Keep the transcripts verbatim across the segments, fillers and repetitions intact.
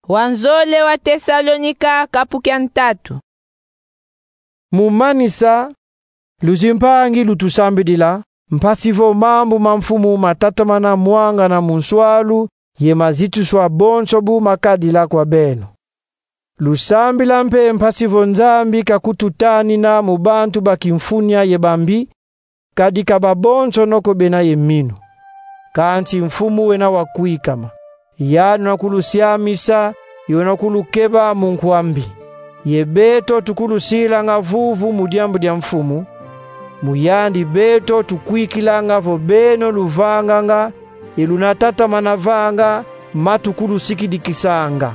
Wanzole wa Tesalonika, kapu kia ntatu. Mu manisa, luzimpangi lutusambidila, mpasi vo mambu ma Mfumu matatamana mwangana mu nswalu, ye mazituswa bonso bu makadila kwa beno. Lusambila mpe mpasi vo Nzambi kakututanina mu bantu ba kimfunia ye bambi, kadi ka babonsono ko bena ye minu. Kansi Mfumu wena wa kwikama, yandi una kulusiamisa, ye una kulukeba mu nkwa mbi. Ye beto tukulusilanga vuvu mu diambu dia Mfumu, mu yandi beto tukwikilanga vo beno luvanganga, ye luna tatamana vanga, ma tukulusikidikisanga.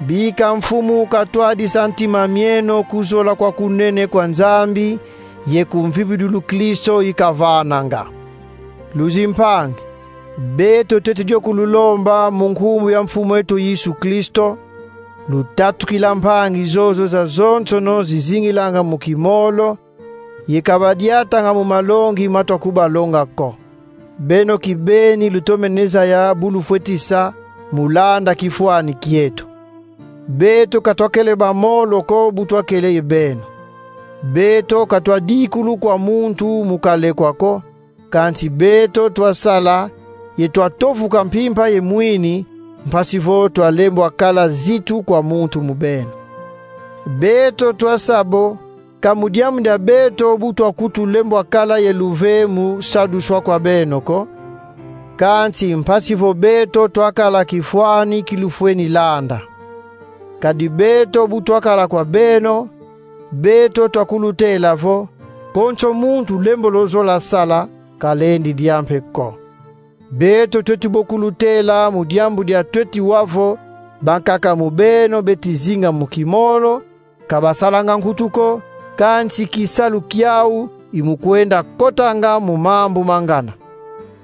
Bika Mfumu katwadisa ntima mieno ku zola kwa kunene kwa Nzambi, ye ku mvimba Kristo ikavananga. Luzimpangi, beto tweti dio kululomba mu nkumbu ya Mfumu eto Yesu Kristo, lutatukila mpangi zozo zazonsono zizingilanga mu kimolo, ye ka badiatanga mu malongi ma twa kubalonga ko. Beno kibeni lutomene zaya bu lufweti sa mu landa kifwani kieto. Beto ka twakele bamolo ko bu twakele ye beno. Beto ka twadikulu kwa muntu mu kalekwa ko, kansi beto twasala, ye twatovuka mpimpa ye mwini, mpasi vo twalembwa kala zitu kwa muntu mu beno. Beto twasa bo, ka mu diambu dia beto bu twakutu lembwa kala ye luve mu saduswa kwa beno ko, kansi mpasi vo beto twakala kifwani ki lufweni landa. Kadi beto bu twakala kwa beno, beto twakulutela vo, konso muntu lembolo zola sala, kalendi dia mpe ko. Beto tweti bo kulutela mu diambu dia tweti wa vo, bankaka mu beno beti zinga mu kimolo, ka basalanga nkutu ko, kansi kisalu kiau i mu kwenda kotanga mu mambu ma ngana.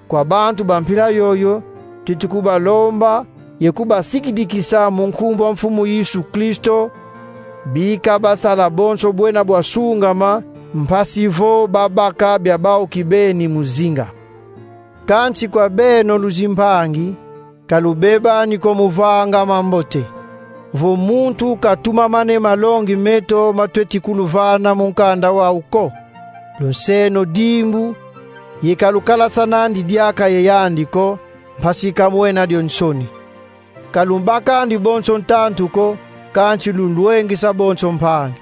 Kwa bantu ba mpila yoyo, tweti kubalomba, ye kubasikidikisa mu nkumbu a Mfumu Yesu Kristo, bika basala bonso bwena bwa sungama, mpasi vo babaka bia bau kibeni mu zinga. Kansi kwa beno luzimpangi, ka lubebani ko mu vanga mambote. Vo muntu katumamane malongi meto ma tweti kuluvana mu nkanda wau ko. Lunseno dimbu, ye ka lukalasana ndi diaka ye yandi ko, mpasi ka mwena dio nsoni. Ka lumbakandi bonso ntantu ko, kansi lunlwengisa bonso mpangi.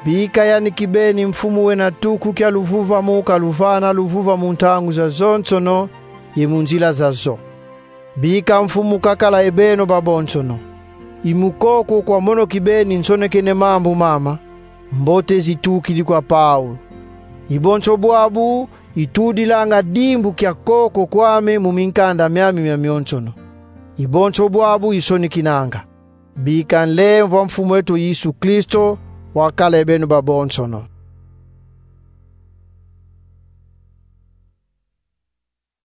Bika yandi kibeni Mfumu wena tuku kia luvuvamu kaluvana luvuvamu ntangu zazonsono, ye mu nzila zazo. Bika Mfumu kakala ye beno babonsono. I mu koko kwa mono kibeni nsonekene mambu mama, mbote zitukidi kwa Paulo. I bonso bwabu itudilanga dimbu kia koko kwame mu minkanda miami miamionsono. I bonso bwabu isonekinanga. Bika nlemvo a Mfumu eto Yesu Kristo wakala ye beno babonsono.